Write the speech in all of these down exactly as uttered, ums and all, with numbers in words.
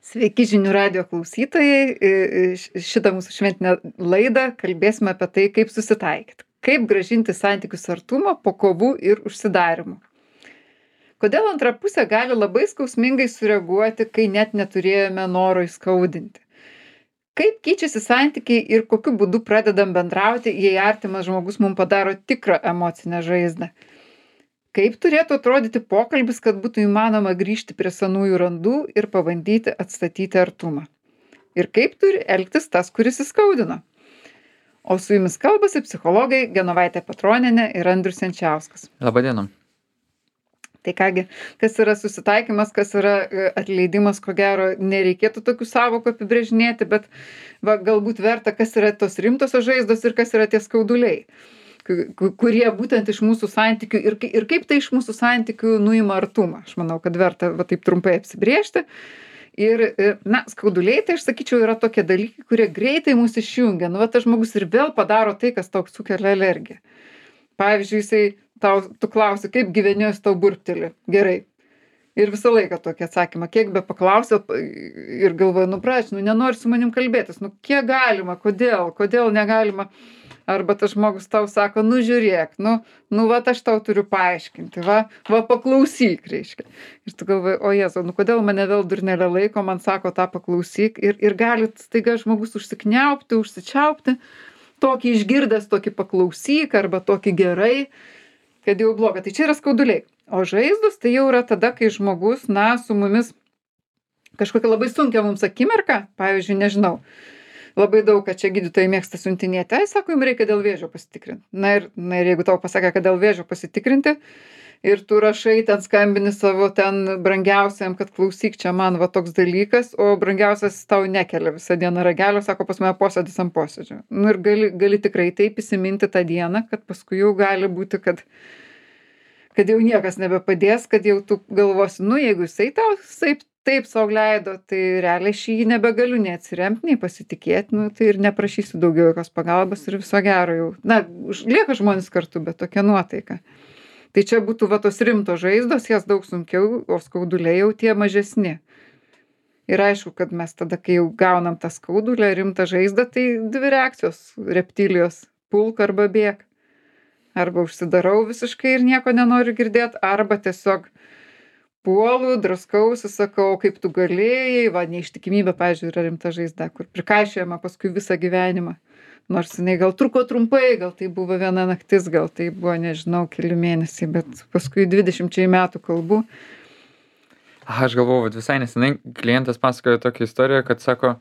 Sveiki žinių radijo klausytojai. I- i- Šitą mūsų šventinę laidą kalbėsime apie tai, kaip susitaikyti. Kaip gražinti santykius artumo po kovų ir užsidarimų. Kodėl antra pusė gali labai skausmingai sureaguoti, kai net neturėjome noro įskaudinti. Kaip keičiasi santykiai ir kokiu būdu pradedam bendrauti, jei artimas žmogus mums padaro tikrą emocinę žaizdą. Kaip turėtų atrodyti pokalbis, kad būtų įmanoma grįžti prie senųjų randų ir pabandyti atstatyti artumą. Ir kaip turi elgtis tas, kuris įskaudino. O su jumis kalbasi psichologai Genovaitė Petronienė ir Andrius Jančiauskas. Labadiena. Tai kągi, kas yra susitaikymas, kas yra e, atleidimas, ko gero, nereikėtų tokių sąvokų apibrėžinėti, bet va, galbūt verta, kas yra tos rimtosios žaizdos ir kas yra tie skauduliai, ku- kurie būtent iš mūsų santykių ir, kai- ir kaip tai iš mūsų santykių nuima artumą. Aš manau, kad verta va, taip trumpai apsibrėžti. Ir, e, na, skauduliai, tai aš sakyčiau, yra tokie dalykai, kurie greitai mus išjungia. Nu, va, tas žmogus ir vėl padaro tai, kas tau sukelia alergiją. Pavyzdžiui, jisai tau, tu klausi, kaip gyveni, jis tau burpteli. Gerai. Ir visą laiką tokį atsakymą, kiek be paklausė ir galvoju, nu praš, nu nenori su manim kalbėtis, nu kiek galima, kodėl, kodėl negalima. Arba tas žmogus tau sako, nu žiūrėk, nu, nu va aš tau turiu paaiškinti, va, va paklausyk, reiškia. Ir tu galvoji, o Jėzau, nu kodėl mane vėl durnelė laiko, man sako tą paklausyk. Ir, ir gali staiga žmogus užsikniaupti, užsičiaupti, tokį išgirdęs, tokį paklausyk arba tokį gerai, kad jau bloga. Tai čia yra skauduliai. O žaizdos tai jau yra tada, kai žmogus, na, su mumis kažkokia labai sunkia mums akimirka, pavyzdžiui, nežinau, labai daug, kad čia gydytojai mėgsta siuntinėti, ai, sako, jums reikia dėl vėžio pasitikrinti. Na ir, na ir jeigu tau pasakė, kad dėl vėžio pasitikrinti ir tu rašai, ten skambini savo ten brangiausiam, kad klausyk, čia man va toks dalykas, o brangiausias tau nekelia visą dieną ragelio, sako, pas mane posėdis ant posėdžio. Nu ir gali, gali tikrai taip įsiminti tą dieną, kad paskui jau gali būti, kad kad jau niekas nebepadės, kad jau tu galvosi, nu jeigu jisai tau taip, taip sau leido, tai realiai šį jį nebegaliu nei atsiremti, nei pasitikėti, nu, tai ir neprašysiu daugiau jokios pagalbos ir viso gero jau. Na, už- lieka žmonės kartu, bet tokia nuotaika. Tai čia būtų va tos rimtos žaizdos, jas daug sunkiau, o skauduliai jau tie mažesni. Ir aišku, kad mes tada, kai jau gaunam tą skaudulę, rimtą žaizdą, tai dvi reakcijos reptilijos - pulk arba bėk. Arba užsidarau visiškai ir nieko nenoriu girdėti, arba tiesiog puolu, draskausi, sakau, kaip tu galėjai, va, neištikimybė, pavyzdžiui, yra rimta žaizda, kur prikaišiojama paskui visą gyvenimą. Nors jinai gal truko trumpai, gal tai buvo viena naktis, gal tai buvo, nežinau, keli mėnesiai, bet paskui dvidešimčiai metų kalbu. Aha, aš galvoju, vat visai nesenai klientas pasakojo tokią istoriją, kad sako,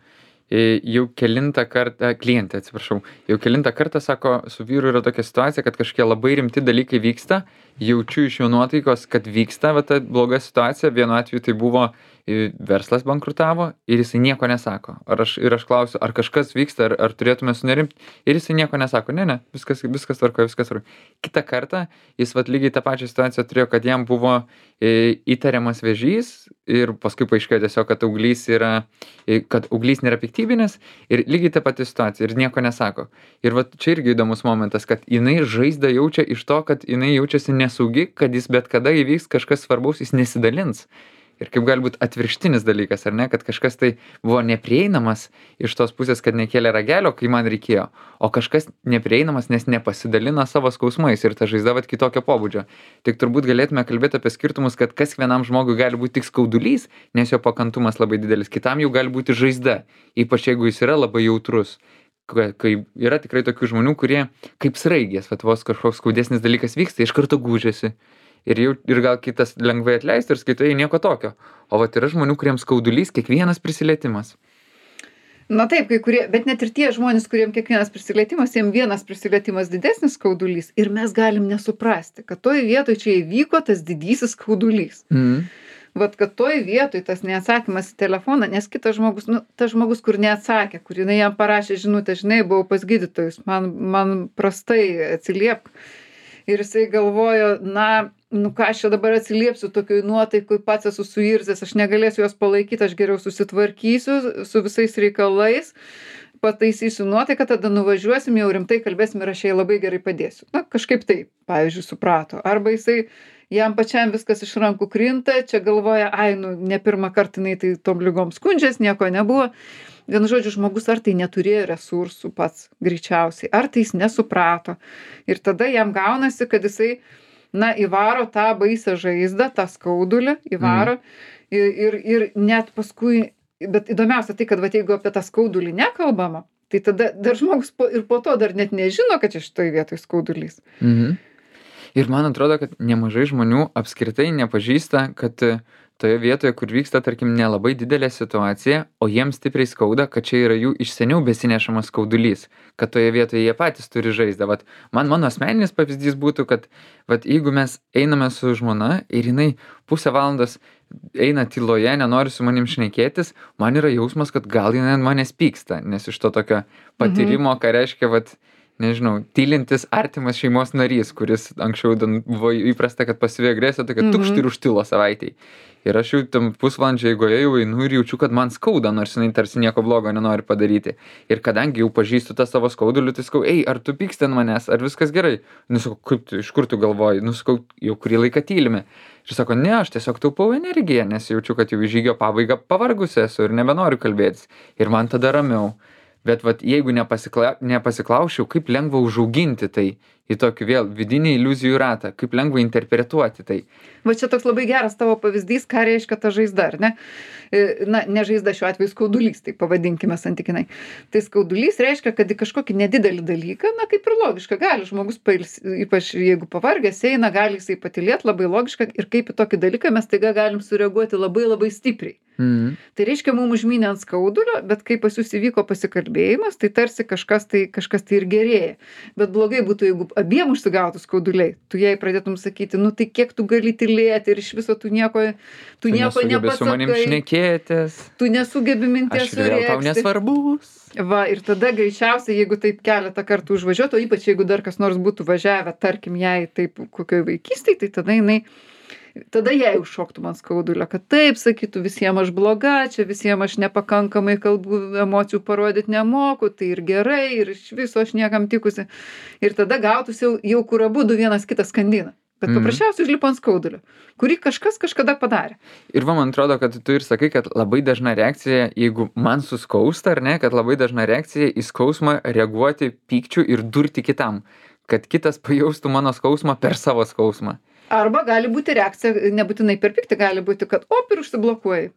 e, jau kelintą kartą, klientė, atsiprašau, jau kelintą kartą, sako, su vyru yra tokia situacija, kad kažkokie labai rimti dalykai vyksta, jaučiu iš jo nuotaikos, kad vyksta va ta bloga situacija, vienu atveju tai buvo e, verslas bankrutavo ir jisai nieko nesako. Ar aš, ir aš klausiu, ar kažkas vyksta, ar, ar turėtume sunerimti, ir jisai nieko nesako, ne, ne, viskas, viskas tvarkoja, viskas tvarkoja. Kitą kartą jis vat lygiai tą pačią situaciją turėjo, kad jam buvo e, įtariamas vėžys ir paskui paaiškėjo tiesiog, kad auglys yra, e, kad auglys nėra piktybinis ir lygiai ta pati situacija ir nieko nesako. Ir vat čia irgi įdomus momentas, kad jinai žaizdą jaučia iš to, kad jinai jaučiasi nesaugi, kad jis bet kada įvyks kažkas svarbaus, jis nesidalins. Ir kaip gali būt atvirkštinis dalykas, ar ne, kad kažkas tai buvo neprieinamas iš tos pusės, kad nekėlė ragelio, kai man reikėjo, o kažkas neprieinamas, nes nepasidalina savo skausmais ir ta žaizda vat kitokio pobūdžio. Tik turbūt galėtume kalbėti apie skirtumus, kad kas vienam žmogui gali būti tik skaudulys, nes jo pakantumas labai didelis, kitam jau gali būti žaizda, ypač jeigu jis yra labai jautrus. Ka- Kai yra tikrai tokių žmonių, kurie kaip sraigės, vat vos kažkoks skaudesnis dalykas vyksta, iš karto gūžiasi. Ir, jau, ir gal kitas lengvai atleistų ir skaitai nieko tokio. O vat yra žmonių, kuriems skaudulys kiekvienas prisilietimas. Na taip, kai kurie, bet net ir tie žmonės, kuriem kiekvienas prisilietimas, jiem vienas prisilietimas didesnis skaudulys ir mes galim nesuprasti, kad toj vietoj čia įvyko tas didysis skaudulys. Mhm. Vat, kad toj vietoj tas neatsakymas į telefoną, nes kitas žmogus, nu, tas žmogus, kur neatsakė, kur jinai jam parašė žinutę, žinai, buvau pas gydytojus, man, man prastai atsiliepk. Ir jisai galvojo, na, nu ką aš čia dabar atsiliepsiu tokioj nuotaikoj, pats esu suirzęs, aš negalėsiu jos palaikyti, aš geriau susitvarkysiu su visais reikalais, pataisysiu nuotaiką, tada nuvažiuosim, jau rimtai kalbėsim ir aš jai labai gerai padėsiu. Na, kažkaip taip, pavyzdžiui, suprato. Arba jisai jam pačiam viskas iš rankų krinta, čia galvoja, ai, nu, ne pirmą kartą jinai tai tom ligom skundžias, nieko nebuvo. Vienu žodžiu, žmogus ar tai neturėjo resursų pats greičiausiai, ar tai jis nesuprato. Ir tada jam gaunasi, kad jisai, na, įvaro tą baisę žaizdą, tą skaudulį, įvaro. Mm. Ir, ir, ir net paskui, bet įdomiausia tai, kad va, jeigu apie tą skaudulį nekalbama, tai tada dar žmogus po, ir po to dar net nežino, kad čia šitoj vietoj skaudulys. Mhm. Ir man atrodo, kad nemažai žmonių apskritai nepažįsta, kad toje vietoje, kur vyksta, tarkim, nelabai didelė situacija, o jiems stipriai skauda, kad čia yra jų iš seniau besinešamas skaudulys, kad toje vietoje jie patys turi žaizdą. Vat man mano asmeninis pavyzdys būtų, kad vat jeigu mes einame su žmona ir jinai pusę valandos eina tyloje, nenori su manim šnekėtis, man yra jausmas, kad gal jinai ant manęs pyksta, nes iš to tokio patyrimo, ką reiškia, vat, nežinau, tylintis artimas šeimos narys, kuris anksčiau buvo įprasta, kad pasyvi agresija tokia tukšt ir užtilo savaitėj. Ir aš jau tam pusvalandžio eigoje jau einu ir jaučiu, kad man skauda, nors jinai tarsi nieko blogo nenori padaryti. Ir kadangi jau pažįstu tą savo skaudulių, tai sakau, ei, ar tu pyksti ant manęs, ar viskas gerai? Nu, sakau, kaip tu, iš kur tu galvoji? Nu, sakau, jau kurį laiką tylime. Ir sako, ne, aš tiesiog taupau energiją, nes jaučiu, kad jau į žygio pabaigą pavargusi esu ir nebenoriu kalbėtis. Ir man tada ramiau. Bet vat, jeigu nepasikla, nepasiklausčiau, kaip lengva užauginti tai į tokį vėl vidinį iliuzijų ratą, kaip lengva interpretuoti tai. Va čia toks labai geras tavo pavyzdys, ką reiškia ta žaizda, ar ne? Na, ne žaizda šiuo atveju skaudulys, tai pavadinkime santykinai. Tai skaudulys reiškia, kad į kažkokį nedidelį dalyką, na kaip ir logiška, gali žmogus pails, ypač jeigu pavargęs eina, gali jisai patylėti, labai logiška, ir kaip į tokį dalyką mes taiga galim sureaguoti labai labai stipriai. Mhm. Tai reiškia, mums užmynė ant skaudulio, bet kai pas jūs įvyko pasikalbėjimas, tai tarsi kažkas tai, kažkas tai ir gerėja. Bet blogai būtų, jeigu abiem užsigautų skauduliai, tu jai pradėtum sakyti, nu tai kiek tu gali tylėti ir iš viso tu nieko, tu, Tu nieko nesugebi su manim nepasakai, šnekėtis. tu nesugebi minties Aš ir vėl tau sureikšti. nesvarbus. Va, ir tada greičiausiai, jeigu taip keletą kartų užvažiuotų, o ypač jeigu dar kas nors būtų važiavę, tarkim, jai taip kokioj vaikystėj, tai tada jinai, tada jai užšoktų man skaudulio, kad taip sakytų, visiems aš bloga, čia visiems aš nepakankamai kalbų emocijų parodyti nemoku, tai ir gerai, ir iš viso aš niekam tikusi. Ir tada gautųsi jau, jau kur abudu vienas kitas skandina. Bet Mhm. paprasčiausiai užlipo ant skaudulio, kurį kažkas kažkada padarė. Ir va, man atrodo, kad tu ir sakai, kad labai dažna reakcija, jeigu man suskausta, ar ne, kad labai dažna reakcija į skausmą reaguoti pykčiu ir durti kitam, kad kitas pajaustų mano skausmą per savo skausmą. Arba gali būti reakcija, nebūtinai per pyktį, gali būti, kad op ir užsiblokuoji.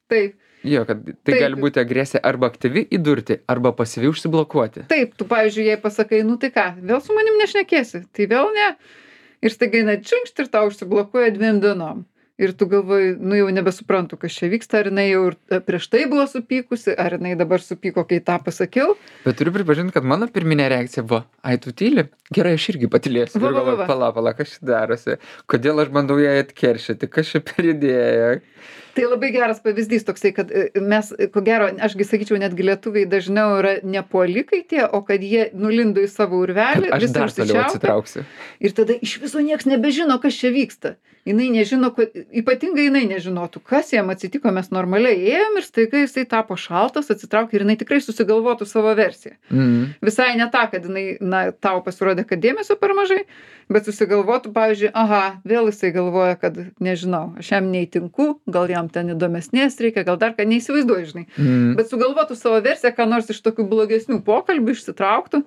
Taip, Jo, kad tai Taip. gali būti agresija arba aktyvi įdurti, arba pasyvi užsiblokuoti. taip, tu, pavyzdžiui, jai pasakai, nu tai ką, vėl su manim nešnekėsi, tai vėl ne. Ir staiga jinai čiunkšt ir tau užsiblokuoja dviem dienom. Ir tu galvoji, nu jau nebesuprantu, kas čia vyksta, ar jinai jau ir prieš tai buvo supykusi, ar jinai dabar supyko, kai tą pasakiau. Bet turiu pripažinti, kad mano pirminė reakcija buvo, ai tu tyli, gerai, aš irgi patylėsiu. Va, Ir va, va, galvoju, va. pala, pala, kas čia darosi, kodėl aš bandau ją atkeršyti, kas čia per idėja. Tai labai geras pavyzdys toksai, kad e, mes, e, ko gero, ašgi sakyčiau, netgi lietuviai dažniau yra ne puolikai tie, o kad jie nulindo į savo urvelį, Aš visą dar toliau užsičiaupę. atsitrauksiu. Ir tada iš viso nieks nebežino, kas čia vyksta. Jinai nežino, ko- ypatingai jinai nežinotų, kas jam atsitiko, mes normaliai ėjom ir staiga jisai tapo šaltas, atsitraukė ir jinai tikrai susigalvotų savo versiją. Mhm. Visai ne tą, kad jinai, na, tau pasirodė, kad dėmesio per mažai, bet susigalvotų, pavyzdžiui, aha, vėl jisai galvoja, kad, nežinau, aš jam neįtinku, gal jam ten įdomesnės reikia, gal dar ką neįsivaizduoju, žinai. Mhm. Bet sugalvotų savo versiją, ką nors iš tokių blogesnių pokalbių išsitrauktų.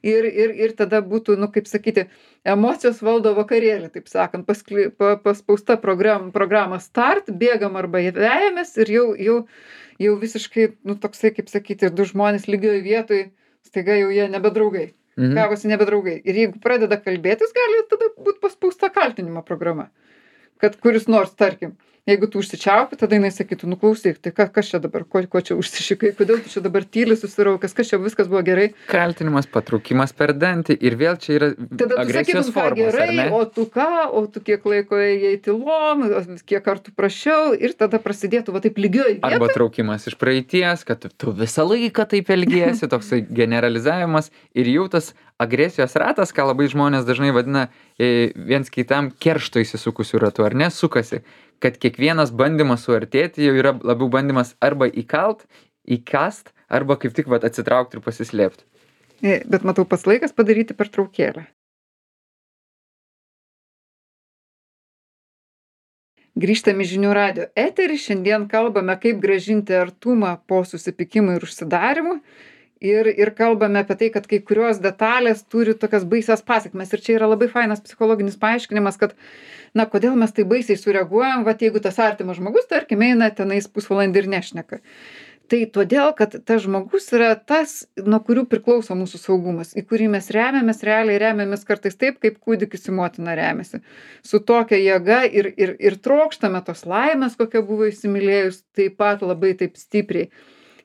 Ir, ir, ir tada būtų, nu, kaip sakyti, emocijos valdo vakarėlį, taip sakant, paskli, pa, paspausta program, programa start, bėgam arba vejamės ir jau, jau, jau visiškai, nu, toksai, kaip sakyti, du žmonės lygioje vietoje, staiga jau jie nebedraugai. Mhm. Gavosi nebedraugai. Ir jeigu pradeda kalbėtis, gali tada būti paspausta kaltinimo programa. Kad kuris nors, tarkim, jeigu tu užsičiaupi, tada jinai sakytų, nu klausyk, tai ka, kas čia dabar, ko, ko čia užsišikai, kodėl tu čia dabar tyli susiraukęs, kas čia viskas buvo gerai. Kaltinimas, patraukimas per dantį ir vėl čia yra Tada tu agresijos sakytum, ką formos, ar gerai, ne? o tu ką, o tu kiek laiko ėjai tylom, kiek kartų prašiau ir tada prasidėtų va taip lygioj Arba vietoj. traukimas iš praeities, kad tu- tu visą laiką taip elgiesi, toksai generalizavimas ir jau tas agresijos ratas, ką labai žmonės dažnai vadina e, viens kitam keršto įsisukusiu ratu, ar ne, sukasi, kad kiekvienas bandymas suartėti jau yra labiau bandymas arba įkalt, įkast, arba kaip tik vat, atsitraukti ir pasislėpti. E, Bet matau, pats laikas padaryti pertraukėlę. Grįžtam į žinių radijo eterį. Šiandien kalbame, kaip grąžinti artumą po susipykimų ir užsidarimų. Ir, ir kalbame apie tai, kad kai kurios detalės turi tokias baisias pasekmes. Ir čia yra labai fainas psichologinis paaiškinimas, kad, na, kodėl mes tai baisiai sureaguojam, va, jeigu tas artimas žmogus, tarkim, eina tenais pusvalandį ir nešneka. Tai todėl, kad tas žmogus yra tas, nuo kurių priklauso mūsų saugumas, į kurį mes remiamės, realiai remiamės kartais taip, kaip kūdikis į motiną remiasi. Su tokia jėga ir, ir, ir trokštame tos laimės, kokia buvo įsimylėjus, taip pat labai taip stipriai.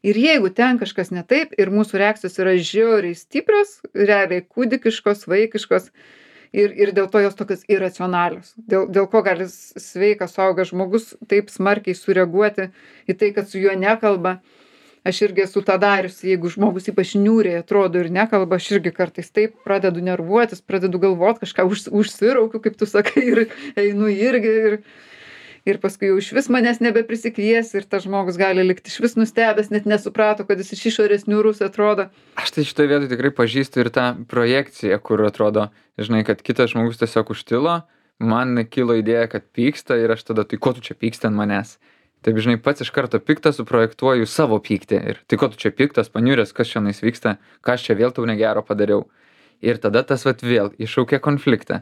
Ir jeigu ten kažkas ne taip ir mūsų reakcijos yra žiauriai stiprios, realiai kūdikiškos, vaikiškos, ir, ir dėl to jos tokios iracionalios. Dėl, dėl ko gali sveikas suaugęs žmogus taip smarkiai sureaguoti į tai, kad su juo nekalba. Aš irgi esu tą dariusi, jeigu žmogus ypač niūriai atrodo ir nekalba, aš irgi kartais taip pradedu nervuotis, pradedu galvot kažką, už, užsiraukiu, kaip tu sakai, ir einu irgi. Ir, ir paskui jau išvis manęs nebeprisikvies ir tas žmogus gali likti išvis nustebęs, net nesuprato, kad jis iš išorės niūrus atrodo. Aš tai šitoje vietoje tikrai pažįstu ir tą projekciją, kur atrodo, žinai, kad kitas žmogus tiesiog užtilo, man kilo idėja, kad pyksta ir aš tada, tai ko tu čia pyksti ant manęs? Taip, žinai, pats iš karto piktą suprojektuoju savo pyktį ir tai ko tu čia piktas, paniuręs, kas šiandien vyksta, ką aš čia vėl tau negero padariau. Ir tada tas vat vėl iššaukia konfliktą.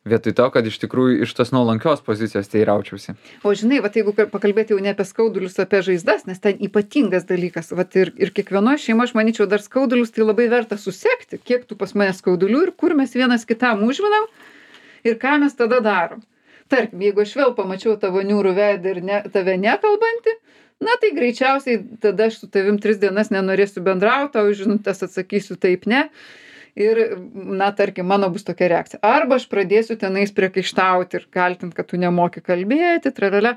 Vietoj to, kad iš tikrųjų iš tos nuolankios pozicijos tai raučiausi. O žinai, vat jeigu pakalbėti jau ne apie skaudulius, apie žaizdas, nes ten ypatingas dalykas, vat ir, ir kiekvienoje šeimoje, aš manyčiau, dar skaudulius tai labai verta susekti, kiek tu pas mane skaudulių ir kur mes vienas kitam užvinam ir ką mes tada darom. Tarkim, jeigu aš vėl pamačiau tavo niūrų veidą ir ne, tave nekalbantį, na tai greičiausiai tada aš su tavim tris dienas nenorėsiu bendrauti, o žinutės atsakysiu taip ne. Ir, na, tarkim, mano bus tokia reakcija. Arba aš pradėsiu tenais priekaištauti ir kaltint, kad tu nemoki kalbėti, tralala.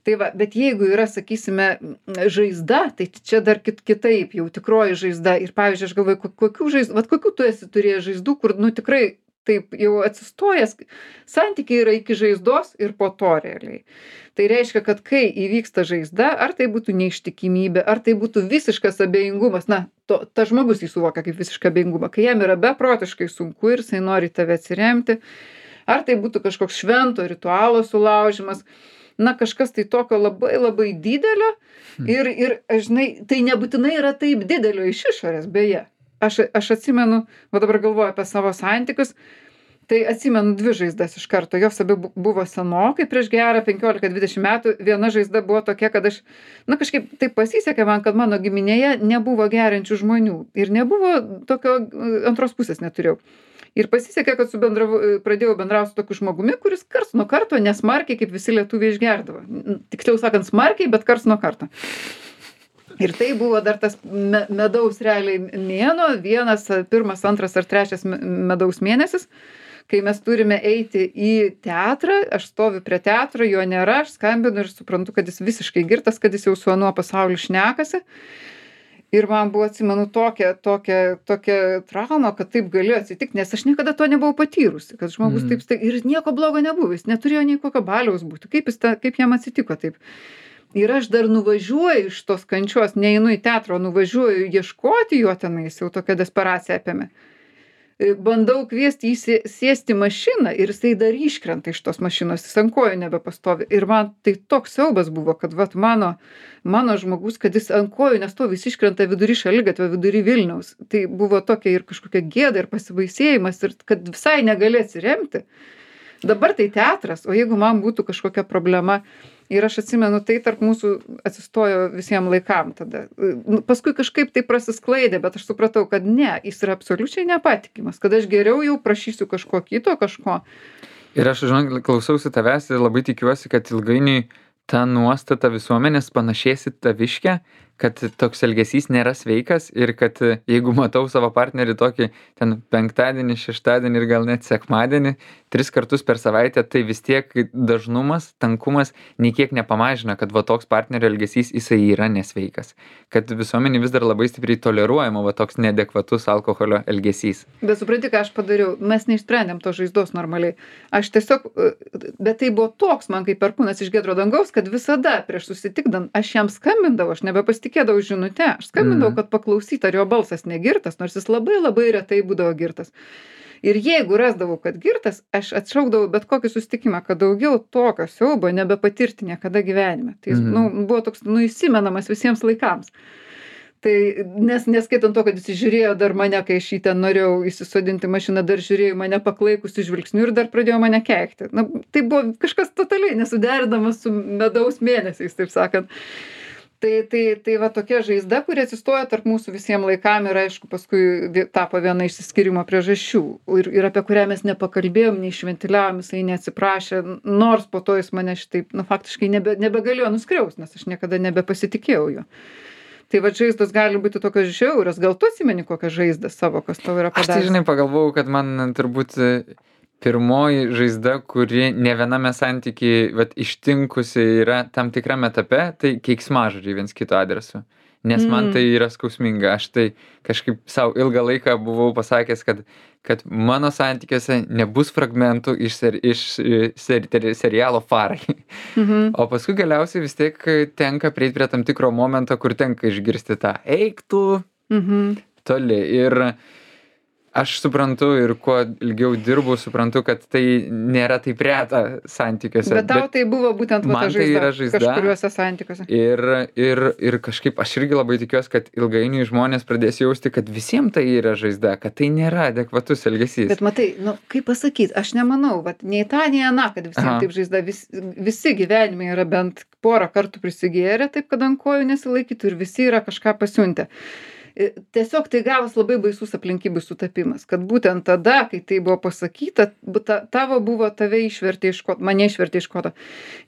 Tai va, bet jeigu yra, sakysime, žaizda, tai čia dar kit, kitaip, jau tikroji žaizda. Ir, pavyzdžiui, aš galvoju, kokių žaizdų, vat kokių tu esi turėjęs žaizdų, kur, nu, tikrai taip jau atsistojęs, santykiai yra iki žaizdos ir po to realiai. Tai reiškia, kad kai įvyksta žaizda, ar tai būtų neištikimybė, ar tai būtų visiškas abejingumas, na, to, ta žmogus jį suvokia kaip visišką abejingumą, kai jam yra beprotiškai sunku ir jisai nori tave atsiremti, ar tai būtų kažkoks švento ritualo sulaužimas, na, kažkas tai tokio labai labai didelio ir, ir žinai, tai nebūtinai yra taip didelio iš išorės, beje. Aš, aš atsimenu, va dabar galvoju apie savo santykius, tai atsimenu dvi žaizdas iš karto. Jos abi buvo senokai, prieš gerą penkiolika dvidešimt metų. Viena žaizda buvo tokia, kad aš, na kažkaip taip pasisekė man, kad mano giminėje nebuvo geriančių žmonių. Ir nebuvo tokio, antros pusės neturėjau. Ir pasisekė, kad su bendravu, pradėjau bendrauti su tokiu žmogumi, kuris karts nuo karto nesmarkiai, kaip visi lietuviai išgerdavo. Tiksliau sakant, smarkiai, bet karts nuo karto. Ir tai buvo dar tas me, medaus realiai mėnuo, vienas, pirmas, antras ar trečias medaus mėnesis, kai mes turime eiti į teatrą, aš stoviu prie teatro, jo nėra, aš skambinu ir suprantu, kad jis visiškai girtas, kad jis jau su anuo pasauliu šnekasi. Ir man buvo, atsimenu, tokia, tokia, tokia trauma, kad taip galėjo atsitikti, nes aš niekada to nebuvau patyrusi, kad žmogus mm. taip stai, ir nieko blogo nebuvo, jis neturėjo nei kokio baliaus būti, kaip, jis ta, kaip jam atsitiko taip. Ir aš dar nuvažiuoju iš tos kančios, neinu į teatrą, nuvažiuoju ieškoti jo tenais, jau tokia desperacija apėmė. Bandau kviesti jį sėsti mašiną ir jisai dar iškrenta iš tos mašinos, jis ant kojų nebepastovi. Ir man tai toks siaubas buvo, kad vat mano, mano žmogus, kad jis ant kojų nestovi, jis iškrenta vidury šaligatvio, vidury Vilniaus. Tai buvo tokia ir kažkokia gėda ir pasibaisėjimas ir kad visai negali atsiremti. Dabar tai teatras, o jeigu man būtų kažkokia problema, ir aš atsimenu, tai tarp mūsų atsistojo visiems laikam tada. Paskui kažkaip tai prasisklaidė, bet aš supratau, kad ne, jis yra absoliučiai nepatikimas, kad aš geriau jau prašysiu kažko kito, kažko. Ir aš, žinok, klausausi tavęs ir labai tikiuosi, kad ilgainiui ta nuostata visuomenės panašės į taviškę, kad toks elgesys nėra sveikas ir kad jeigu matau savo partnerį tokį ten penktadienį, šeštadienį ir gal net sekmadienį, tris kartus per savaitę, tai vis tiek dažnumas, tankumas nei kiek nepamažina, kad va toks partnerio elgesys jisai yra nesveikas. Kad visuomenė vis dar labai stipriai toleruojama va toks neadekvatus alkoholio elgesys. Bet supranti, ką aš padariau, mes neišsprendėm to žaizdos normaliai. Aš tiesiog, bet tai buvo toks man kaip perkūnas iš giedro dangaus, kad visada prieš susitikdant aš jam skambindavau, aš nebepasitikėjau pasitikėdavau žinute, aš skambindavau, kad paklausyt, ar jo balsas negirtas, nors jis labai labai retai būdavo girtas. Ir jeigu rasdavau, kad girtas, aš atšaukdavau bet kokį susitikimą, kad daugiau tokio siaubo nebepatirti niekada gyvenime. Tai jis, nu, buvo toks, nu, įsimenamas visiems laikams. Tai nes neskaitant to, kad jis žiūrėjo dar mane, kai aš jį ten norėjau įsisodinti mašiną, dar žiūrėjo mane paklaikusi žvilgsniu ir dar pradėjo mane keikti. Na, tai buvo kažkas totaliai nesuderinamas su medaus mėnesiais, taip sakant. Tai, tai, tai va tokia žaizda, kuri atsistoja tarp mūsų visiems laikam ir aišku paskui tapo viena išsiskyrimo priežasčių ir, ir apie kurią mes nepakalbėjom, neišventiliavom, jisai neatsiprašė, nors po to jis mane šitaip, nu faktiškai nebe, nebegalėjo nuskriaust, nes aš niekada nebepasitikėjau jo. Tai va žaizdos gali būti tokios žiaurios, gal tu atsimeni kokią žaizdą savo, kas tau yra padaręs? Aš tai žinai pagalvojau, kad man turbūt pirmoji žaizda, kuri ne viename santykiai vat, ištinkusi yra tam tikrame etape, tai keiksmažodžiai viens kito adresu. Nes man tai yra skausminga. Aš tai kažkaip savo ilgą laiką buvau pasakęs, kad, kad mano santykiuose nebus fragmentų iš, ser, iš ser, serialo Farai. Mhm. O paskui galiausiai vis tiek tenka prieiti prie tam tikro momento, kur tenka išgirsti tą eik tu mhm. toli. Ir aš suprantu ir kuo ilgiau dirbu, suprantu, kad tai nėra taip reta santykiuose. Bet tau bet tai buvo būtent va, ta žaizda, tai yra žaizda kažkuriuose santykiuose. Ir, ir, ir kažkaip aš irgi labai tikiuosi, kad ilgainiui žmonės pradės jausti, kad visiems tai yra žaizda, kad tai nėra adekvatus elgesys. Bet matai, nu, kaip pasakyti, aš nemanau, vat, nei tą, nei aną, kad visiems taip žaizda. Vis, visi gyvenime yra bent porą kartų prisigėrę, taip kad ant kojų nesilaikytų ir visi yra kažką pasiuntę. Tiesiog tai gavos labai baisus aplinkybių sutapimas, kad būtent tada, kai tai buvo pasakyta, ta, tavo buvo tave išvertė iš koto, mane išvertė iš koto.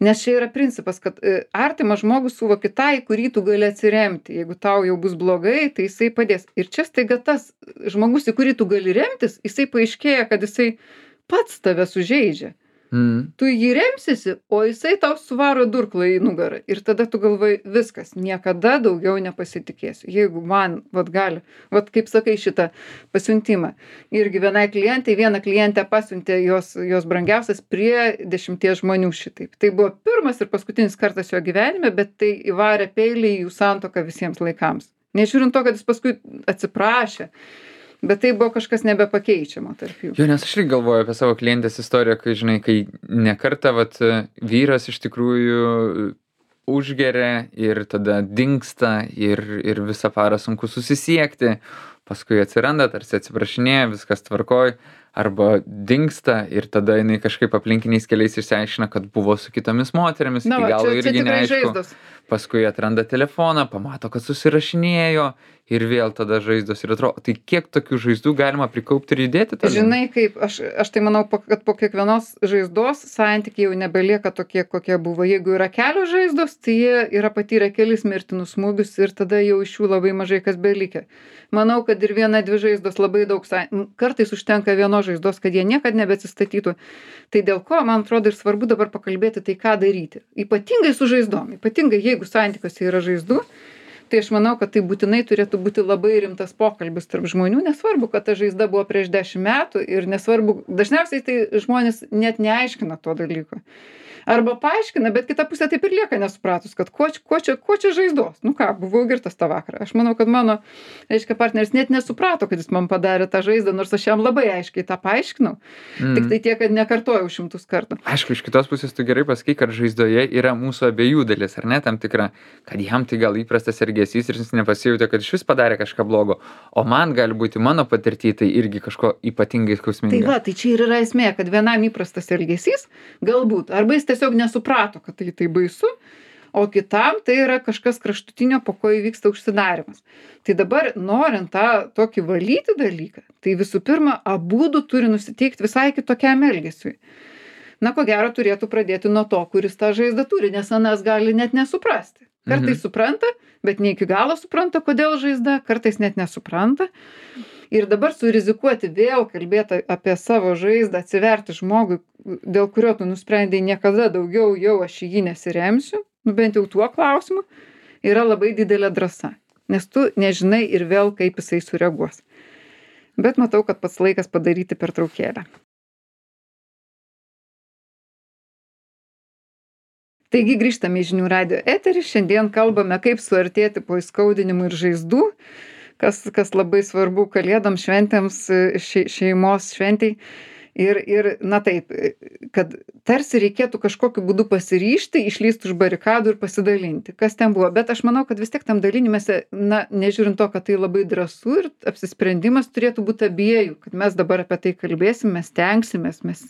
Nes čia yra principas, kad artimas žmogus suvoki tą, į kurį tu gali atsiremti. Jeigu tau jau bus blogai, tai jisai padės. Ir čia staiga tas žmogus, į kurį tu gali remtis, jisai paaiškėja, kad jisai pats tave sužeidžia. Mm. Tu jį remsisi, o jisai tau suvaro durklą į nugarą. Ir tada tu galvoji, viskas, niekada daugiau nepasitikėsiu. Jeigu man, vat gali, vat kaip sakai šitą pasiuntimą. Irgi vienai klientai, vieną klientę pasiuntė jos, jos brangiausias prie dešimties žmonių šitaip. Tai buvo pirmas ir paskutinis kartas jo gyvenime, bet tai įvarė peilį į jų santuoką visiems laikams. Nežiūrint to, kad jis paskui atsiprašė. Bet tai buvo kažkas nebepakeičiamo tarp jų. Jo, nes aš irgi galvoju apie savo klientės istoriją, kai, žinai, kai nekartą, vat, vyras iš tikrųjų užgeria ir tada dingsta ir, ir visą parą sunku susisiekti, paskui atsiranda, tarsi atsiprašinėja, viskas tvarkoj, arba dingsta ir tada jinai kažkaip aplinkiniais keliais išsiaiškina, kad buvo su kitomis moterimis, Na, iki galo čia, irgi čia neaišku. Žaizdos. Paskui atranda telefoną, pamato, kad susirašinėjo ir vėl tada žaizdos ir atrodo, tai kiek tokių žaizdų galima prikaupti ir judėti tada? Žinai, kaip, aš, aš tai manau, kad po kiekvienos žaizdos santykiai jau nebelieka tokie, kokie buvo. Jeigu yra kelios žaizdos, tai jie yra patyrę kelis mirtinus smūgius ir tada jau iš jų labai mažai kas belikė. Manau, kad ir viena, dvi žaizdos labai daug, kartais užtenka vienos žaizdos, kad jie niekad nebeatsistatytų. Tai dėl ko, man atrodo, ir svarbu dabar pakalbėti, tai ką daryti. Ypatingai su žaizdom, ypatingai jeigu santykiuose yra žaizdų, tai aš manau, kad tai būtinai turėtų būti labai rimtas pokalbis tarp žmonių, nesvarbu, kad ta žaizda buvo prieš dešimt metų ir nesvarbu, dažniausiai tai žmonės net neaiškina to dalyko. Arba paaiškina, bet kita pusė taip ir lieka nesupratus, kad ko, ko, čia, ko čia žaizdos. Nu ką, buvau girtas tą vakarą. Aš manau, kad mano, reiškia, partneris net nesuprato, kad jis man padarė tą žaizdą, nors aš jam labai aiškiai tą paaiškinau. Mm. Tik tai tiek, kad nekartojau šimtus kartų. Aišku, iš kitos pusės tu gerai pasakai, kad žaizdoje yra mūsų abiejų dalis, ar ne, tam tikra, kad jam tai gal įprastas elgesys ir jis nepasijautė, kad iš vis padarė kažką blogo, o man gali būti mano patirtį tai irgi kažko ypatingai skausminga. Tai va, tai čia ir yra esmė, kad vienam įprastas elgesys, galbūt, arba jis tiesiog nesuprato, kad tai tai baisu, o kitam tai yra kažkas kraštutinio, po ko įvyksta užsidarimas. Tai dabar, norint tą tokį valyti dalyką, tai visų pirma, abudu turi nusiteikti visai kitokiam elgesiui. Na, ko gero, turėtų pradėti nuo to, kuris tą žaizdą turi, nes anas gali net nesuprasti. Kartais mhm. supranta, bet ne iki galo supranta, kodėl žaizda, kartais net nesupranta. Ir dabar surizikuoti vėl kalbėti apie savo žaizdą, atsiverti žmogui, dėl kurio tu nusprendei niekada daugiau jau aš į jį nesiremsiu, nu bent jau tuo klausimu, yra labai didelė drąsa. Nes tu nežinai ir vėl, kaip jisai sureaguos. Bet matau, kad pats laikas padaryti pertraukėlę. Taigi grįžtame į žinių radijo eterį. Šiandien kalbame, kaip suartėti po įskaudinimų ir žaizdų, kas, kas labai svarbu kalėdom šventėms, še, šeimos šventiai. Ir, ir, na taip, kad tarsi reikėtų kažkokiu būdu pasiryžti, išlysti už barikadų ir pasidalinti, kas ten buvo. Bet aš manau, kad vis tiek tam dalinimėse, na, nežiūrint to, kad tai labai drąsu ir apsisprendimas turėtų būti abiejų, kad mes dabar apie tai kalbėsim, mes tenksimės, mes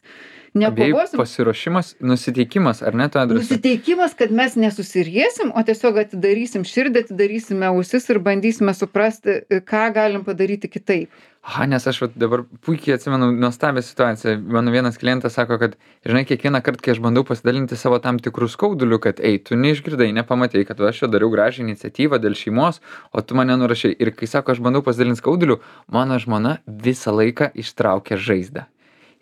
nekovosim. Pasiruošimas, nusiteikimas, ar ne, to adresu? Nusiteikimas, kad mes nesusiriesim, o tiesiog atidarysim širdį, atidarysime ausis ir bandysime suprasti, ką galim padaryti kitaip. Aha, nes aš vat dabar puikiai atsimenu nuostabią situaciją. Mano vienas klientas sako, kad, žinai, kiekvieną kartą, kai aš bandau pasidalinti savo tam tikrų skaudulių, kad, ei, tu neišgirdai, nepamatei, kad aš čia dariau gražią iniciatyvą dėl šeimos, o tu mane nurašai. Ir kai sako, aš bandau pasidalinti skaudulių, mano žmona visą laiką ištraukia žaizdą.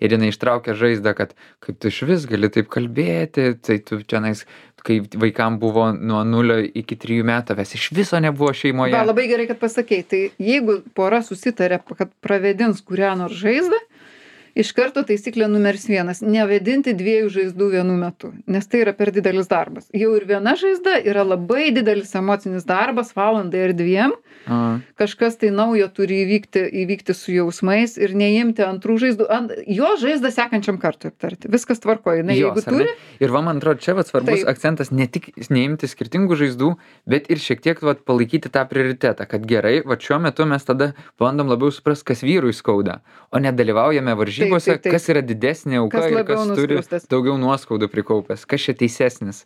Ir jinai ištraukia žaizdą, kad kaip tu iš vis gali taip kalbėti, tai tu čionais, kai vaikam buvo nuo nulio iki trijų metų, ves iš viso nebuvo šeimoje. Va, labai gerai, kad pasakei. Tai jeigu pora susitarė, kad pravedins kurią nors žaizdą, iš karto taisyklė numeris vienas - nevedinti dviejų žaizdų vienu metu, nes tai yra per didelis darbas. Jau ir viena žaizda yra labai didelis emocinis darbas, valandai ar dviem. A. Kažkas tai naujo turi įvykti, įvykti su jausmais ir neimti antrų žaizdų. Ant, jo žaizdą sekančiam kartui aptarti. Viskas tvarkoja. Na, jeigu Jos, ar ne? turi. Ir va, man atrodo, čia vat svarbus Taip. akcentas ne tik neimti skirtingų žaizdų, bet ir šiek tiek vat palaikyti tą prioritetą, kad gerai, va šiuo metu mes tada bandom labiau suprasti, kas vyrui skauda, o nedalyvaujame varžybose, Taip, taip, taip. kas yra didesnė auka Kas ir labiau kas turi nuskriaustas. daugiau nuoskaudų prikaupęs, kas čia teisesnis.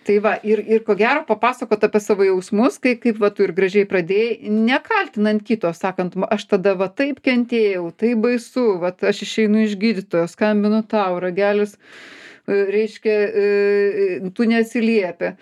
Tai va, ir, ir ko gero papasakot apie savo jausmus, kai, kaip va tu ir gražiai pradėjai, nekaltinant kito, sakant, aš tada va taip kentėjau, tai baisu, va aš išeinu iš gydytojo, skambinu tau, ragelis, reiškia, tu neatsiliepia.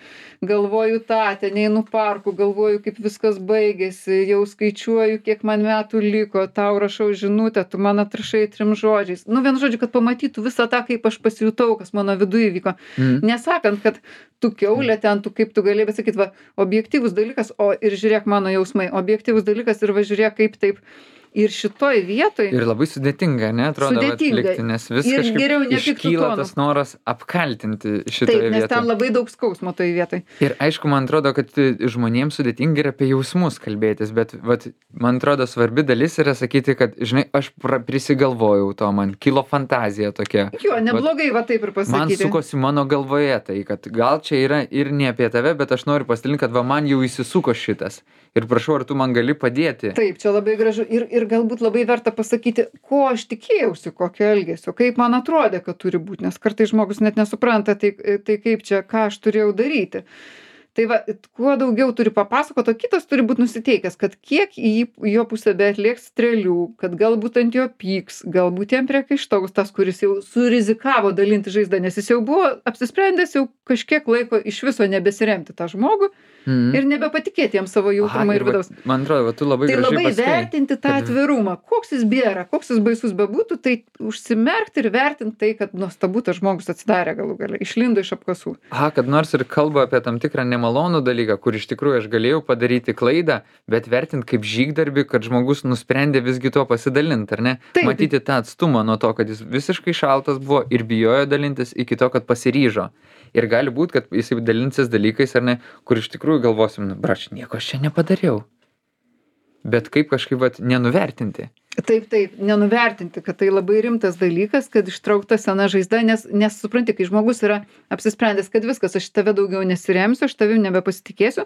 Galvoju tą, ten einu parku, galvoju, kaip viskas baigėsi, jau skaičiuoju, kiek man metų liko, tau rašau žinutę, tu man atrašai trim žodžiais. Nu, vienu žodžiu, kad pamatytų visą tą, kaip aš pasijutau, kas mano viduje įvyko. Mm. Nesakant, kad tu kiaulė ten, tu kaip tu galėjai, bet sakyt, va, objektyvus dalykas, o ir žiūrėk mano jausmai, objektyvus dalykas ir va žiūrėk, kaip taip. Ir šitoj vietoj. Ir labai sudėtinga, ne, atrodo, Sudėtinga. atlikti, nes vis Ir geriau kažkaip nepiktu iškyla tonu. tas noras apkaltinti šitoje Taip, nes vietoje. ten labai daug skausmo toj vietoj. Ir aišku, man atrodo, kad žmonėms sudėtinga yra apie jausmus kalbėtis, bet vat, man atrodo svarbi dalis yra sakyti, kad, žinai, aš pra- prisigalvojau to, man kilo fantazija tokia. Jo, neblogai va taip ir Man pasakyti. sukosi mano galvoje tai, kad gal čia yra ir ne apie tave, bet aš noriu pasidalinti, kad va man jau įsisuko šitas. Ir prašau, ar tu man gali padėti? Taip, čia labai gražu. Ir, ir galbūt labai verta pasakyti, ko aš tikėjausi, kokio elgesio, kaip man atrodė, kad turi būti, nes kartais žmogus net nesupranta, tai, tai kaip čia, ką aš turėjau daryti. Tai va, kuo daugiau turi papasakoti, o kitas turi būti nusiteikęs, kad kiek į jį- jo pusę beatlieks strėlių, kad galbūt ant jo pyks, galbūt jam priekaištaus tas, kuris jau surizikavo dalinti žaizdą, nes jis jau buvo apsisprendęs jau kažkiek laiko iš viso nebesiremti tą žmogų Mhm. ir nebepatikėti jam savo Aha, jautrumą ir ir vat, vidaus. man atrodo, va, tu labai Tai gražiai labai pasakei. vertinti tą kad- atvirumą, koks jis bėra, koks jis baisus bebūtų, tai užsimerkti ir vertinti tai, kad nuostabu tas žmogus atsidarė galų gale, išlindo iš apkasų. Aha, kad nors ir kalba apie tam tikrą nemalonų dalyką, kur iš tikrųjų aš galėjau padaryti klaidą, bet vertint kaip žygdarbį, kad žmogus nusprendė visgi tuo pasidalinti, ar ne? Taip. Matyti tą atstumą nuo to, kad jis visiškai šaltas buvo ir bijojo dalintis, iki to, kad pasiryžo. Ir gali būti, kad jis dalinsis dalykais, ar ne, kur iš tikrųjų galvosim, nu, brač, nieko aš čia nepadariau. Bet kaip kažkaip vat, nenuvertinti. Taip, taip, nenuvertinti, kad tai labai rimtas dalykas, kad ištraukta sena žaizda, nes, nes supranti, kai žmogus yra apsisprendęs, kad viskas, aš tave daugiau nesiremsiu, aš tavim nebepasitikėsiu,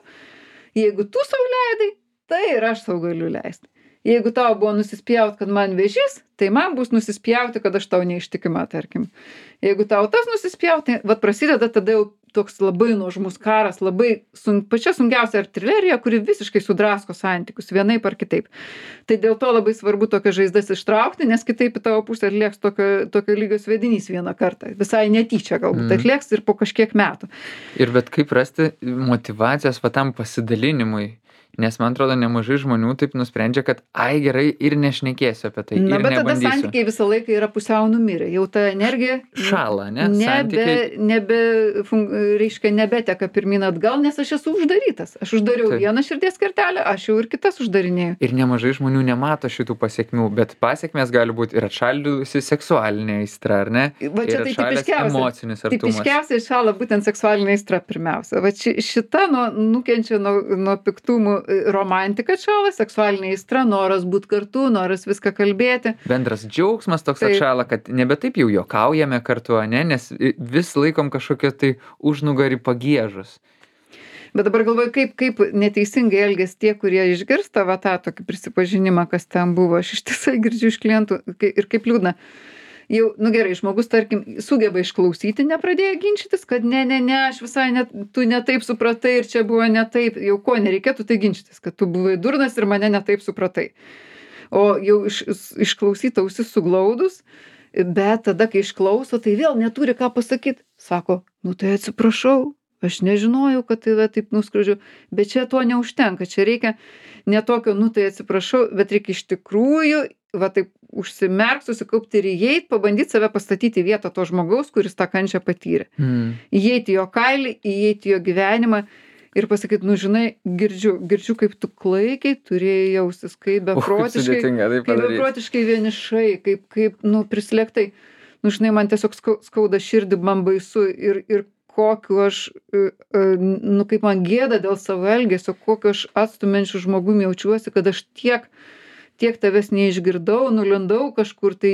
jeigu tu sau leidai, tai ir aš sau galiu leisti. Jeigu tau buvo nusispjaut, kad man vėžys, tai man bus nusispjauti, kad aš tau neištikima, tarkim. Jeigu tau tas nusispjaut, tai vat prasideda tada jau toks labai nuožmus karas, labai sun, pačia sunkiausia artilerija, kuri visiškai sudrasko santykius, vienaip ar kitaip. Tai dėl to labai svarbu tokias žaizdas ištraukti, nes kitaip į tavo pusę atlieks tokio, tokio lygio svedinys vieną kartą. Visai netyčia galbūt Mhm. atlieks ir po kažkiek metų. Ir bet kaip rasti motyvacijas va tam pasidalinimui. Nes man atrodo, nemažai žmonių taip nusprendžia, kad ai gerai ir nešnekėsiu apie tai. Na, ir bet tada nebandysiu. santykiai visą laiką yra pusiau numirę. Jau ta energija Šąla, ne? nebe, Santykiai. nebe, fun, reiškia, nebeteka pirmin atgal, nes aš esu uždarytas. Aš uždariau Taip. vieną širdies kertelę, aš jau ir kitas uždarinėjau. Ir nemažai žmonių nemato šitų pasiekmių, bet pasiekmes gali būti ir atšaldysi seksualinė aistra, ar ne? Va čia ir tai atšalęs tipiškiausia. emocinis artumas. Tipiškiausiai šąla būtent seksualinė aistra pirmiausia. Va ši, šita nuo, nukenčia nuo, nuo piktumų romantika šąla, seksualinė aistra, noras būti kartu, noras viską kalbėti. Bendras džiaugsmas toks Taip. atšąla, kad nebe taip jau juokaujame kartu, ne? Nes vis laikom kažkokią tai užnugarį pagiežus. Bet dabar galvoju, kaip, kaip neteisingai elgės tie, kurie išgirsta va tą tokį prisipažinimą, kas ten buvo. Aš iš tiesai girdžiu iš klientų kai- ir kaip liūdna. Jau, nu gerai, žmogus, tarkim, sugeba išklausyti, nepradėjo ginčytis, kad ne, ne, ne, aš visai net, tu ne taip supratai ir čia buvo ne taip. Jau ko nereikėtų tai ginčytis, kad tu buvai durnas ir mane ne taip supratai. O jau iš, išklausyta ausis suglaudus, bet tada, kai išklauso, tai vėl neturi ką pasakyti. Sako, nu tai atsiprašau, aš nežinojau, kad tave taip nuskriaudžiau, bet čia to neužtenka, čia reikia ne tokio, nu tai atsiprašau, bet reikia iš tikrųjų, va taip užsimerkt, susikaupti ir įeit, pabandyti save pastatyti į vietą to žmogaus, kuris tą kančią patyrė. Mm. Įeiti jo kailį, įeiti jo gyvenimą ir pasakyti, nu žinai, girdžiu, girdžiu, kaip tu klaikiai turėjai jaustis, kaip beprotiškai, sudėtinga tai kaip padaryt. beprotiškai vienišai, kaip, kaip, nu, prislėgtai. Nu, žinai, man tiesiog skau- skauda širdį, man baisu ir, ir kokiu aš, e, e, nu, kaip man gėda dėl savo elgesio, kokiu aš atstumiančių žmogum jaučiuosi, kad aš tiek, tiek tavęs neišgirdau, nulindau kažkur, tai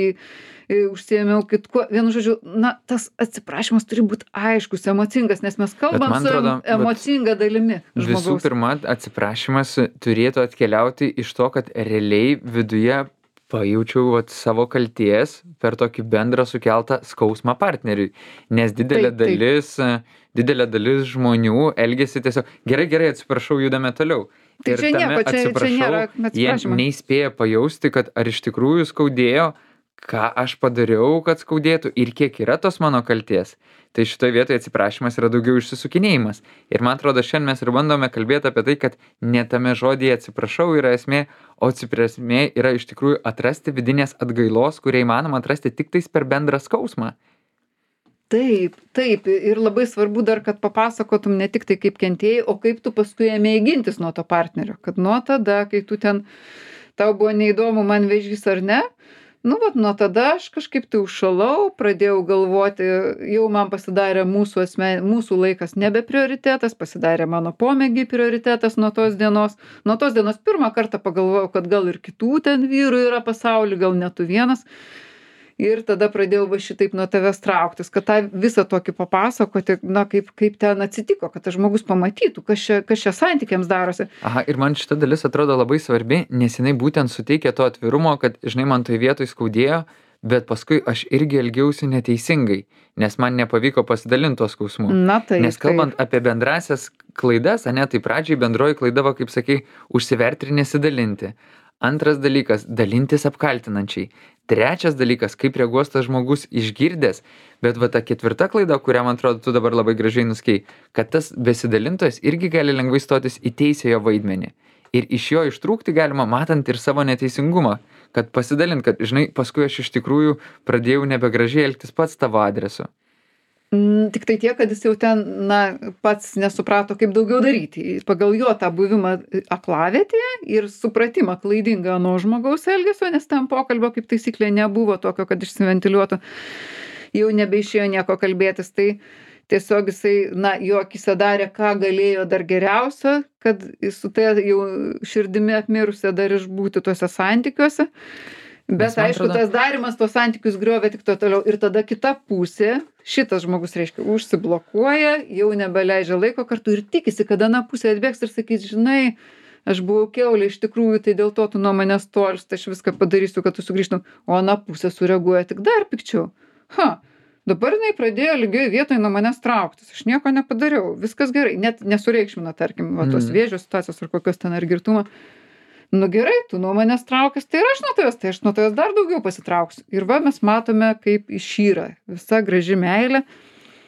e, užsiėmiau kitkuo. Vienu žodžiu, na, tas atsiprašymas turi būti aiškus, emocingas, nes mes kalbam man su atrodo, bet emocinga dalimi Visų žmogaus. pirma, atsiprašymas turėtų atkeliauti iš to, kad realiai viduje pajaučiau vat, savo kalties per tokį bendrą sukeltą skausmą partneriui. Nes didelė Taip, taip. dalis, didelė dalis žmonių elgesi tiesiog gerai, gerai, atsiprašau, judame toliau. Tai čia nieko, čia- čia nėra jie atsiprašymo. neįspėja pajausti, kad ar iš tikrųjų skaudėjo, ką aš padariau, kad skaudėtų ir kiek yra tos mano kalties. Tai šitoje vietoje atsiprašymas yra daugiau išsisukinėjimas. Ir man atrodo, šiandien mes ir bandome kalbėti apie tai, kad ne tame žodyje atsiprašau yra esmė, o atsiprašmė yra iš tikrųjų atrasti vidinės atgailos, kurią įmanoma atrasti tik tais per bendrą skausmą. Taip, taip. Ir labai svarbu dar, kad papasakotum ne tik tai kaip kentėjai, o kaip tu paskui ėmėjai gintis nuo to partnerio. Kad nuo tada, kai tu ten, tau buvo neįdomu man vėžys ar ne, nu vat nuo tada aš kažkaip tai užšalau, pradėjau galvoti, jau man pasidarė mūsų, asmen, mūsų laikas nebe prioritetas, pasidarė mano pomėgiai prioritetas nuo tos dienos. Nuo tos dienos pirmą kartą pagalvojau, kad gal ir kitų ten vyrų yra pasauly, gal ne tu vienas. Ir tada pradėjau va šitaip nuo tavęs trauktis, kad tą visą tokį papasakoti, na, kaip, kaip ten atsitiko, kad tas žmogus pamatytų, kas čia, kas čia santykiams darosi. Aha, ir man šita dalis atrodo labai svarbi, nes jinai būtent suteikia to atvirumo, kad, žinai, man toj vietoj skaudėjo, bet paskui aš irgi elgiausi neteisingai, nes man nepavyko pasidalinti tuo skausmu. Na tai. Nes kalbant apie bendrasias klaidas, ane, tai pradžiai bendroji klaida, va, kaip sakai, užsiverti ir nesidalinti. Antras dalykas - dalintis apkaltinančiai. Trečias dalykas - kaip reaguos tas žmogus išgirdęs. Bet va ta ketvirta klaida, kurią, man atrodo, tu dabar labai gražiai nuskei, kad tas besidalintojas irgi gali lengvai stotis į teisėjo vaidmenį. Ir iš jo ištrūkti galima, matant ir savo neteisingumą. Kad pasidalint, kad, žinai, paskui aš iš tikrųjų pradėjau nebegražiai elgtis pats tavo adresu. Mm, tik tai tiek, kad jis jau ten, na, pats nesuprato, kaip daugiau daryti. Pagal jo tą buvimą aklavietėje ir supratimą klaidingą nuo žmogaus elgesio, nes ten pokalbio kaip taisyklė nebuvo tokio, kad išsiventiliuotų. Jau nebeišėjo nieko kalbėtis. Tai tiesiog jisai, na, jo akise darė, ką galėjo dar geriausio, kad su tai jau širdimi apmirusia dar išbūti tuose santykiuose. Bet aišku, atrodo... tas darimas tos santykius griovė tik to toliau. Ir tada kita pusė, šitas žmogus, reiškia, užsiblokuoja, jau nebeleidžia laiko kartu ir tikisi, kad ana pusė atbėgs ir sakys, žinai, aš buvau kiaulė, iš tikrųjų, tai dėl to tu nuo manęs tolsti, aš viską padarysiu, kad tu sugrįžtum. O ana pusė sureaguoja tik dar pikčiau. Ha, dabar jinai pradėjo lygioj vietoj nuo manęs trauktis. Aš nieko nepadariau, viskas gerai. Net nesureikšmina, tarkim, va, tos Mm. vėžio situacijos ar kokios ten ar girtumo. Nu gerai, tu nuo manęs traukis, tai ir aš nuo tavęs, tai aš nuo tavęs dar daugiau pasitrauksiu. Ir va mes matome, kaip išyra visa graži meilė.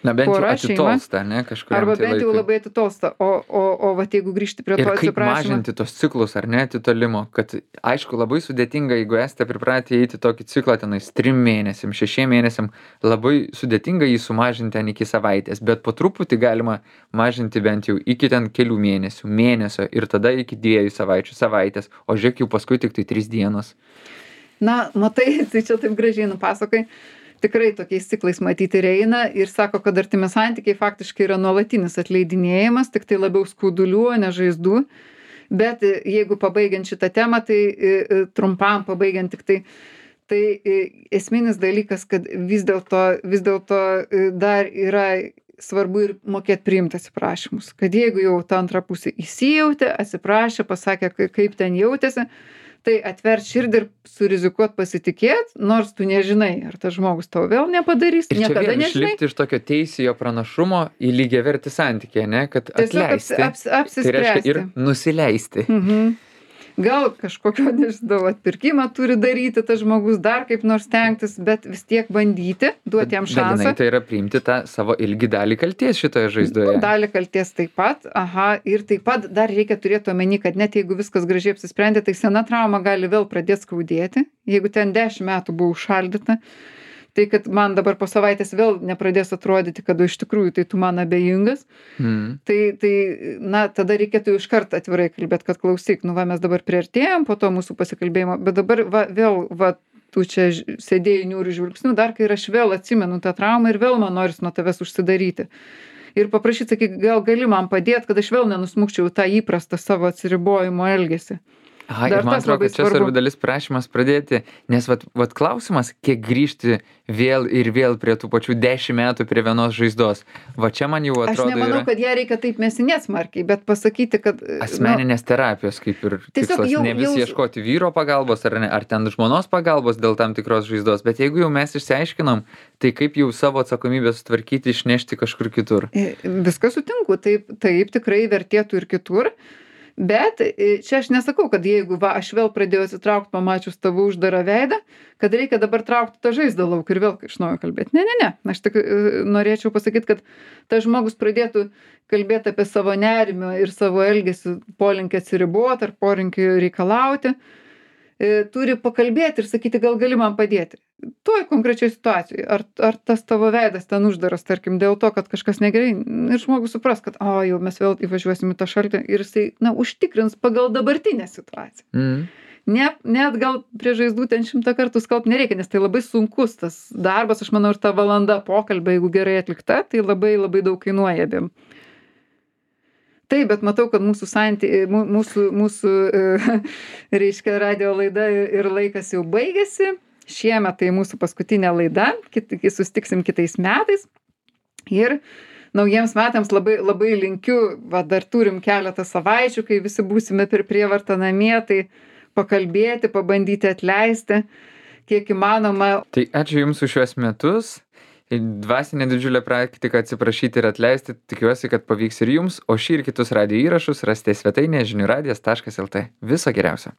Na bent jau pora, šeima. atitolsta, ne, kažkuriam Arba tai bent jau laikui. labai atitolsta. O, o, o vat jeigu grįžti prie to Ir kaip atsiprašymo. mažinti tos ciklus, ar ne, atitolimo, kad aišku labai sudėtinga, jeigu esate pripratę eiti tokį ciklą tenais trim mėnesiam, šešiem mėnesiam, labai sudėtinga jį sumažinti ten iki savaitės, bet po truputį galima mažinti bent jau iki ten kelių mėnesių, mėnesio ir tada iki dviejų savaičių, savaitės, o žiūrėk jau paskui tik tai trys dienos. Na, matai, tai čia taip gražiai nupasakai. Tikrai tokiais ciklais matyti ir eina ir sako, kad artimi santykiai faktiškai yra nuolatinis atleidinėjimas, tik tai labiau skaudulių, o ne žaizdų. Bet jeigu pabaigiant šitą temą, tai trumpam pabaigiant tik tai, tai esminis dalykas, kad vis dėlto, vis dėlto dar yra svarbu ir mokėti priimti atsiprašymus. Kad jeigu jau ta antra pusė įsijautė, atsiprašė, pasakė, kaip ten jautėsi, tai atvert širdį ir surizikuot pasitikėt, nors tu nežinai, ar tas žmogus tau vėl nepadarys, Ir čia niekada vėl nežinai. išlipti iš tokio teisėjo pranašumo į lygiavertį santykį, ne, kad Tiesiog atleisti. aps- aps- Tai reiškia ir apsispręsti. nusileisti. Mhm. Gal kažkokio, nežinau, atpirkimą turi daryti tas žmogus, dar kaip nors stengtis, bet vis tiek bandyti, duoti jam šansą. Dalinai tai yra priimti tą savo ilgi dalį kalties šitoje žaizdoje. Dalį kalties taip pat, aha, ir taip pat dar reikia turėti omeny, kad net jeigu viskas gražiai apsisprendė, tai sena trauma gali vėl pradėti skaudėti. Jeigu ten dešimt metų buvo užšaldyta, tai kad man dabar po savaitės vėl nepradės atrodyti, kad iš tikrųjų tai tu man abejingas, Mm. tai, tai na, tada reikėtų iš karto atvirai kalbėti, kad klausyk, nu va mes dabar priartėjom po to mūsų pasikalbėjimo, bet dabar va, vėl, va, tu čia ž- sėdėjai niūrių žvilgsnių, dar kai ir aš vėl atsimenu tą traumą ir vėl man noris nuo tavęs užsidaryti. Ir paprašyti, sakyk, gal gali man padėti, kad aš vėl nenusmukčiau tą įprastą savo atsiribojimo elgesį. Aha, Dar ir man tas atrodo, labai kad čia svarbu. svarbi dalis prašymas pradėti, nes vat, vat klausimas, kiek grįžti vėl ir vėl prie tų pačių dešimt metų prie vienos žaizdos. Va čia man jau Aš atrodo nemanau, yra kad ją reikia taip mesinėt smarkiai, bet pasakyti, kad... nu, asmeninės terapijos kaip ir Tiesiog tikslas. jau- Ne vis jau- ieškoti vyro pagalbos ar, ne, ar ten žmonos pagalbos dėl tam tikros žaizdos, bet jeigu jau mes išsiaiškinom, tai kaip jau savo atsakomybę sutvarkyti, išnešti kažkur kitur. E, Viską sutinku, taip, taip tikrai vertėtų ir kitur, bet e, čia aš nesakau, kad jeigu va, aš vėl pradėjau atsitraukti, pamačius tavo uždarą veidą, kad reikia dabar traukti tą žaizdą lauk ir vėl iš naujo kalbėti. Ne, ne, ne. Aš tik e, norėčiau pasakyti, kad tas žmogus pradėtų kalbėti apie savo nerimą ir savo elgesį, polinkį atsiriboti ar polinkį reikalauti. E, Turi pakalbėti ir sakyti, gal gali man padėti. Toj konkrečioj situacijoj. Ar, ar tas tavo veidas ten uždaras, tarkim, dėl to, kad kažkas negerai. Ir žmogus supras, kad, o, jau mes vėl įvažiuosim į tą šaltį ir jisai, na, užtikrins pagal dabartinę situaciją. Mm. Ne, net gal prie žaizdų ten šimtą kartų skalbt nereikia, nes tai labai sunkus tas darbas, aš manau, ir ta valanda pokalbio, jeigu gerai atlikta, tai labai labai daug kainuoja abiem. Taip, bet matau, kad mūsų, santy, mū- mūsų, mūsų e, reiškia, radio laida ir laikas jau baigėsi. Šiemet tai mūsų paskutinė laida, kit, sustiksim kitais metais. Ir naujiems metams labai, labai linkiu, va, dar turim keletą savaičių, kai visi būsime per prievartą namie, tai pakalbėti, pabandyti atleisti, kiek įmanoma. Tai ačiū Jums už šiuos metus. Dvasinė didžiulė praktika atsiprašyti ir atleisti. Tikiuosi, kad pavyks ir Jums, o šį ir kitus radijo įrašus rasite svetainėje žinių radijas taškas lt. Viso geriausio.